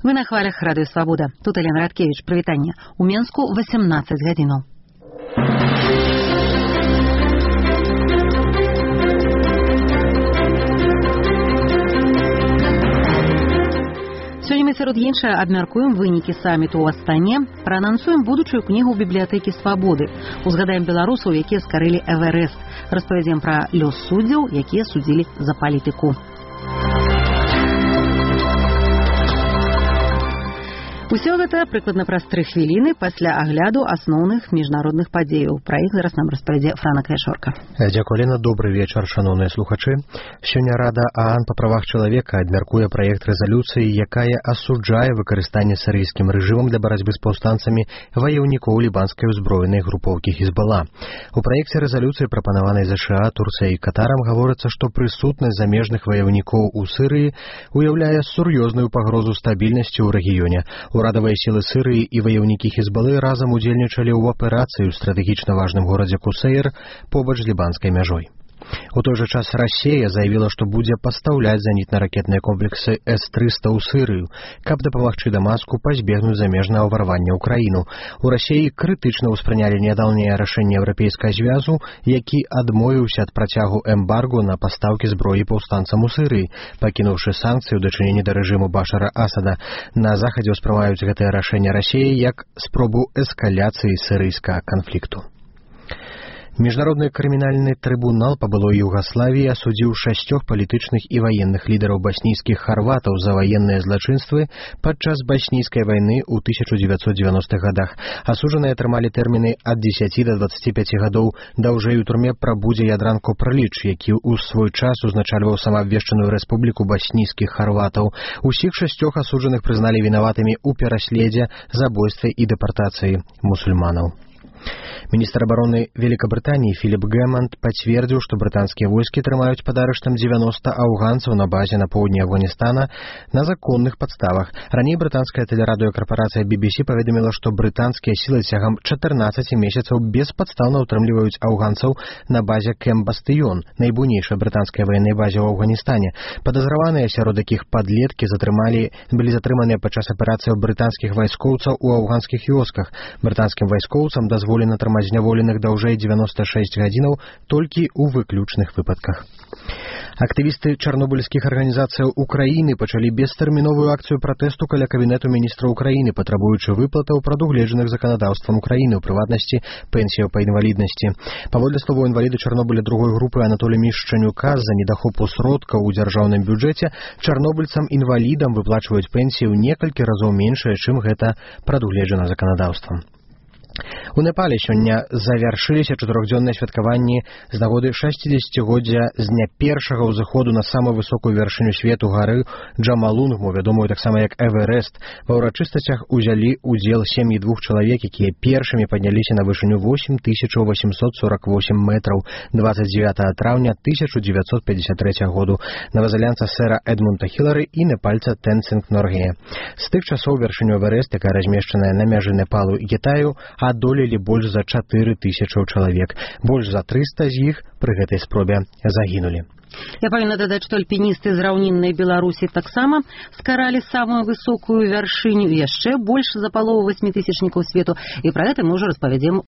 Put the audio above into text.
Вы на хвалях Радыё Свабода. Тут Елена Радкевич. Прывітанне. У Менску 18 гадзінаў. Сёння мы сярод іншага абмяркуем вынікі саміту ў Астане, праанансуем будучую кнігу бібліятэкі Свабоды, узгадаем беларусаў, якія скарылі Эверест, распавядзем пра лёс суддзяў, якія судзілі за палітыку. Усё гэта прыкладна праз 3 хвіліны пасля агляду асноўных міжнародных падзеяў. Пра іх зараз нам распавядзе Франак Яшорка. Дзякуй, Лена. Добры вечар, шаноўныя слухачы. Сёння Рада ААН па правах чалавека абмяркуе праект рэзалюцыі, якая асуджае выкарыстанне сірыйскім рэжымам для барацьбы з паўстанцамі ваяўнікоў лібанскай узброенай групоўкі Хізбала. У праекце рэзалюцыі, прапанаванай ЗША, Турцыяй і Катарам, гаворыцца, што прысутнасць замежных ваяўнікоў у Сірыі уяўляе сур'ёзную пагрозу стабільнасці ў рэгіёне. Урадавыя сілы Сірыі і ваяўнікі Хізбалы разам удзельнічалі ў аперацыі ў стратэгічна важным горадзе Кусейр побач з лібанскай мяжой. У той жа час Расія заявіла, што будзе пастаўляць зенітна-ракетныя комплексы С-300 ў Сірыю, каб дапамагчы Дамаску пазбегнуць замежнага ўварвання ў краіну. У Расіі крытычна ўспрынялі нядаўняе рашэнне Еўрапейскага звязу, які адмовіўся ад працягу эмбарго на пастаўкі зброі паўстанцам у Сірыі, пакінуўшы санкцыі ў дачыненні да рэжыму Башара Асада. На захадзе ўспрымаюць гэтае рашэнне Расіі як спробу эскаляцыі сірыйскага канфлікту. Міжнародны крымінальны трыбунал па былой Югаславіі асудзіў 6 палітычных і ваенных лідараў баснійскіх харватаў за ваенныя злачынствы падчас баснійскай вайны ў 1990-х гадах. Асуджаныя атрымалі тэрміны ад 10 да 25 гадоў. Даўжэй у турме прабудзе Ядран Копраліч, які ў свой час узначальваў самаабвешчаную рэспубліку баснійскіх харватаў. Усіх 6 асуджаных прызналі вінаватымі ў пераследзе, забойстве і дэпартацыі мусульманаў. Міністр абароны Великабрытаніі Філіп Гэманд пацвердзіў, што брытанскія войскі трымаюць пад арыштам 90 афганцаў на базе на поўдні Афганістана на законных падставах. Раней брытанская тэлерадыёкарпарацыя BBC паведаміла, што брытанскія сілы цягам 14 месяцаў беспадстаўна ўтрымліваюць афганцаў на базе Кэмп Бастыён, найбуйнейшай брытанскай ваеннай базе ў Афганістане. Падазраваныя, сярод якіх падлеткі, былі затрыманыя падчас аперацыяў брытанскіх вайскоўцаў у афганскіх вёсках. Брытанскім вайскоўцам дазволена трымаць зняволеных даўжэй 96 гадзінаў толькі ў выключных выпадках. Актывісты чарнобыльскіх арганізацыяў Украіны пачалі бестэрміновую акцыю пратэсту каля кабінету міністра Украіны, патрабуючы выплатаў, прадугледжаных заканадаўствам Украіны, у прыватнасці пенсіяў па інваліднасці. Паводле словаў інваліда Чарнобыля другой групы Анатолія Мішчанюка, з-за недахопу сродкаў у дзяржаўным бюджэце чарнобыльцам-інвалідам выплачваюць пенсію некалькі разоў меншае, чым гэта прадугледжана заканадаўствам. У Непале сёння завяршыліся 4-дзённыя святкаванні з нагоды 60-годдзя з дня першага ўзыходу на самую высокую вяршыню свету гары Джамалунгму, вядомую таксама як Эверест. Ва ўрачыстасцях узялі удзел сем'і 2 чалавек, якія першымі падняліся на вышыню 8848 метраў 29 траўня 1953 году. Новазеландца сэра Эдмунда Хілары і непальца Тэнцинг Норгея. З тых часоў вяршыню Эверест, якая размешчаная на мяжы Непалу і Кітаю, адолелі больш за 4000 чалавек. Больш за 300 з іх пры гэтай спробе загінулі. Я павінна дадаць, што альпіністы з раўніннай Беларусі таксама скаралі самую высокую вяршыню, яшчэ больш за палову 8000-нікаў свету, і пра гэта мы ўжо распавядзем